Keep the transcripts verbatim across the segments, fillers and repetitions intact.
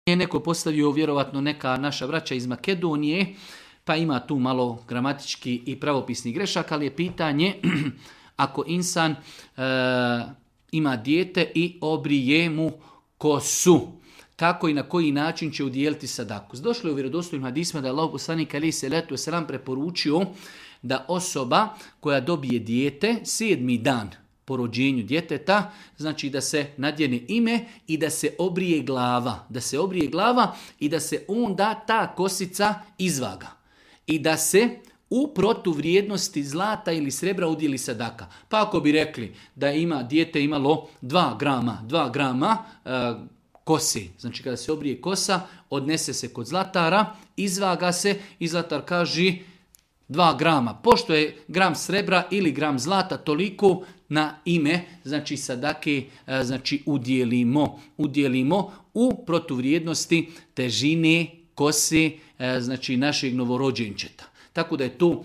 je neko postavio vjerovatno neka naša braća iz Makedonije, pa ima tu malo gramatički i pravopisni grešak, ali je pitanje ako insan e, ima dijete i obrije mu kosu, kako i na koji način će udijeliti sadaku. Došlo je u vjerodostojnim hadisima da je Allah poslanik alejhi selatu vesselam preporučio da osoba koja dobije dijete sedmi dan po rođenju djeteta, znači da se nadjene ime i da se obrije glava. Da se obrije glava i da se onda ta kosica izvaga. I da se u protuvrijednosti zlata ili srebra udjeli sadaka. Pa ako bi rekli da ima dijete imalo dva grama, dva grama e, kosi, znači kada se obrije kosa, odnese se kod zlatara, izvaga se i zlatar kaže dva grama. Pošto je gram srebra ili gram zlata toliko na ime, znači sadake, znači udjelimo, udjelimo u protuvrijednosti težine kose, znači našeg novorođenčeta. Tako da je to uh,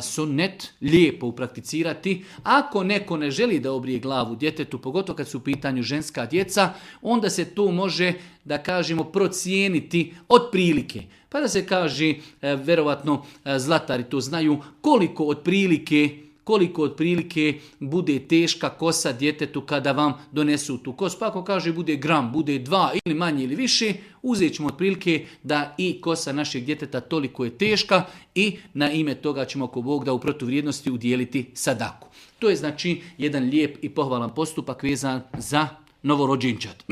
sunnet lijepo uprakticirati. Ako neko ne želi da obrije glavu djetetu, pogotovo kad su u pitanju ženska djeca, onda se to može, da kažemo, procijeniti otprilike. Pa da se kaže, uh, verovatno uh, zlatari to znaju, koliko otprilike koliko otprilike bude teška kosa djetetu kada vam donesu tu kosu. Pa ako kaže bude gram, bude dva ili manje ili više, uzet ćemo otprilike da i kosa našeg djeteta toliko je teška i na ime toga ćemo ako Bog da u protuvrijednosti udijeliti sadaku. To je znači jedan lijep i pohvalan postupak vezan za novorođenčad.